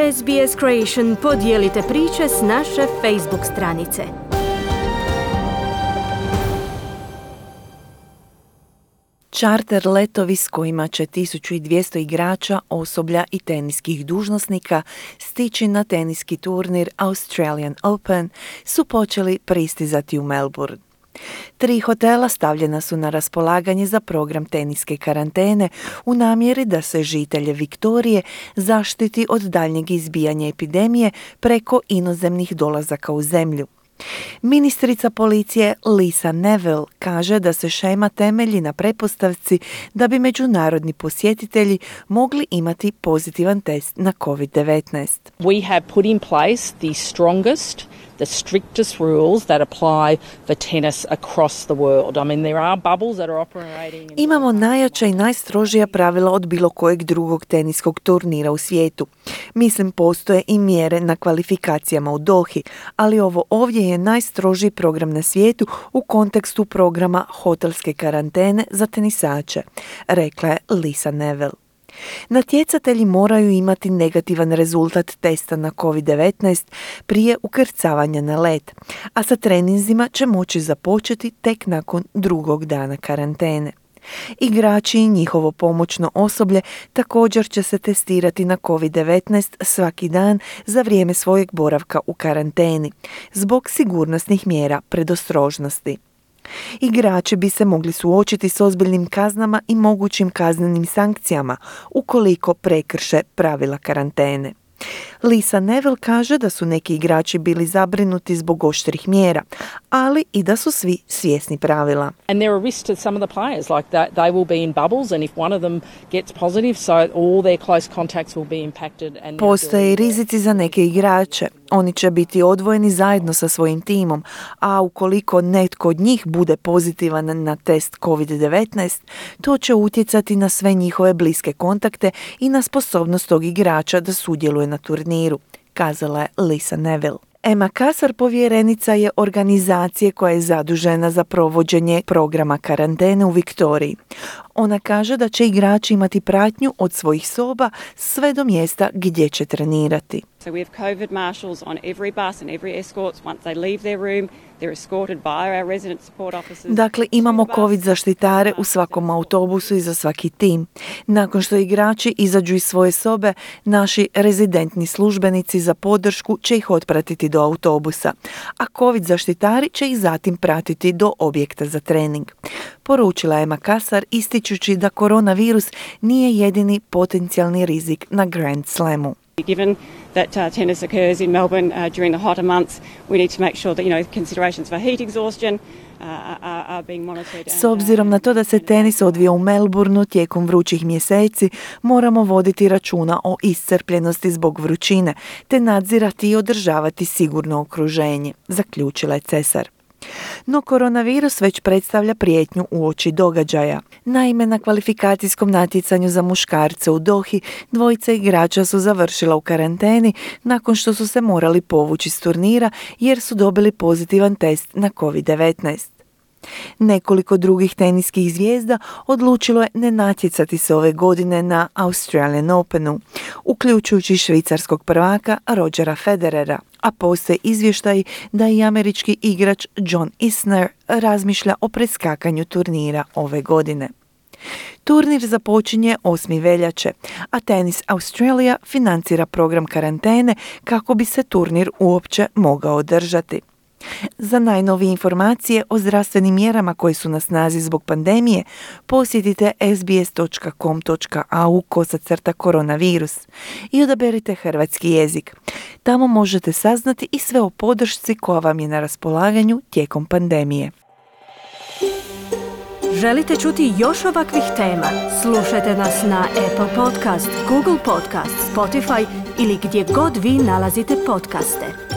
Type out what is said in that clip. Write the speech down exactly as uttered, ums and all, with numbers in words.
S B S Creation podijelite priče s naše Facebook stranice. Čarter letovi s kojima će tisuću dvjesto igrača, osoblja i teniskih dužnosnika stići na teniski turnir Australian Open su počeli pristizati u Melbourne. Tri hotela stavljena su na raspolaganje za program teniske karantene u namjeri da se žitelje Viktorije zaštiti od daljnjeg izbijanja epidemije preko inozemnih dolazaka u zemlju. Ministrica policije Lisa Neville kaže da se šema temelji na pretpostavci da bi međunarodni posjetitelji mogli imati pozitivan test na covid devetnaest. We have put in place the strongest, the strictest rules that apply for tennis across the world. I mean, there are bubbles that are operating. Imamo najjača i najstrožija pravila od bilo kojeg drugog teniskog turnira u svijetu. Mislim, postoje i mjere na kvalifikacijama u Dohi, ali ovo ovdje je najstrožiji program na svijetu u kontekstu programa hotelske karantene za tenisače, rekla je Lisa Neville. Natjecatelji moraju imati negativan rezultat testa na covid devetnaest prije ukrcavanja na led, a sa treninzima će moći započeti tek nakon drugog dana karantene. Igrači i njihovo pomoćno osoblje također će se testirati na covid devetnaest svaki dan za vrijeme svojeg boravka u karanteni, zbog sigurnosnih mjera predostrožnosti. Igrači bi se mogli suočiti s ozbiljnim kaznama i mogućim kaznenim sankcijama ukoliko prekrše pravila karantene. Lisa Neville kaže da su neki igrači bili zabrinuti zbog oštrih mjera, ali i da su svi svjesni pravila. And there are risks to some of the players, like that they will be in bubbles and if one of them gets positive, so all their close contacts will be impacted. And postoje i rizici za neke igrače. Oni će biti odvojeni zajedno sa svojim timom, a ukoliko netko od njih bude pozitivan na test covid devetnaest, to će utjecati na sve njihove bliske kontakte i na sposobnost tog igrača da sudjeluje na turniru, kazala je Lisa Neville. Emma Kasar povjerenica je organizacije koja je zadužena za provođenje programa karantene u Viktoriji. Ona kaže da će igrači imati pratnju od svojih soba sve do mjesta gdje će trenirati. So we have COVID marshals on every bus and every escorts once they leave their room. They're escorted by our resident support officers. Dakle, imamo COVID zaštitare u svakom autobusu i za svaki tim. Nakon što igrači izađu iz svoje sobe, naši rezidentni službenici za podršku će ih otpratiti do autobusa, a COVID zaštitari će ih zatim pratiti do objekta za trening. Poručila je Emma Kasar, ističući da koronavirus nije jedini potencijalni rizik na Grand Slamu. Given that uh, tennis occurs in Melbourne uh, during the hotter months, we need to make sure that, you know, considerations for heat exhaustion uh, are, are being monitored. S obzirom na to da se tenis odvija u Melbourneu tijekom vrućih mjeseci, moramo voditi računa o iscrpljenosti zbog vrućine, te nadzirati i održavati sigurno okruženje, zaključila je Cesar. No koronavirus već predstavlja prijetnju uoči događaja. Naime, na kvalifikacijskom natjecanju za muškarce u Dohi dvojica igrača su završila u karanteni nakon što su se morali povući s turnira jer su dobili pozitivan test na covid devetnaest. Nekoliko drugih teniskih zvijezda odlučilo je ne natjecati se ove godine na Australian Openu, uključujući švicarskog prvaka Rogera Federera, a postoje izvještaji da i američki igrač John Isner razmišlja o preskakanju turnira ove godine. Turnir započinje osmog veljače, a Tennis Australia financira program karantene kako bi se turnir uopće mogao održati. Za najnovije informacije o zdravstvenim mjerama koje su na snazi zbog pandemije, posjetite sbs dot com dot a u kosacrta koronavirus i odaberite hrvatski jezik. Tamo možete saznati i sve o podršci koja vam je na raspolaganju tijekom pandemije. Želite čuti još ovakvih tema? Slušajte nas na Apple Podcast, Google Podcast, Spotify ili gdje god vi nalazite podcaste.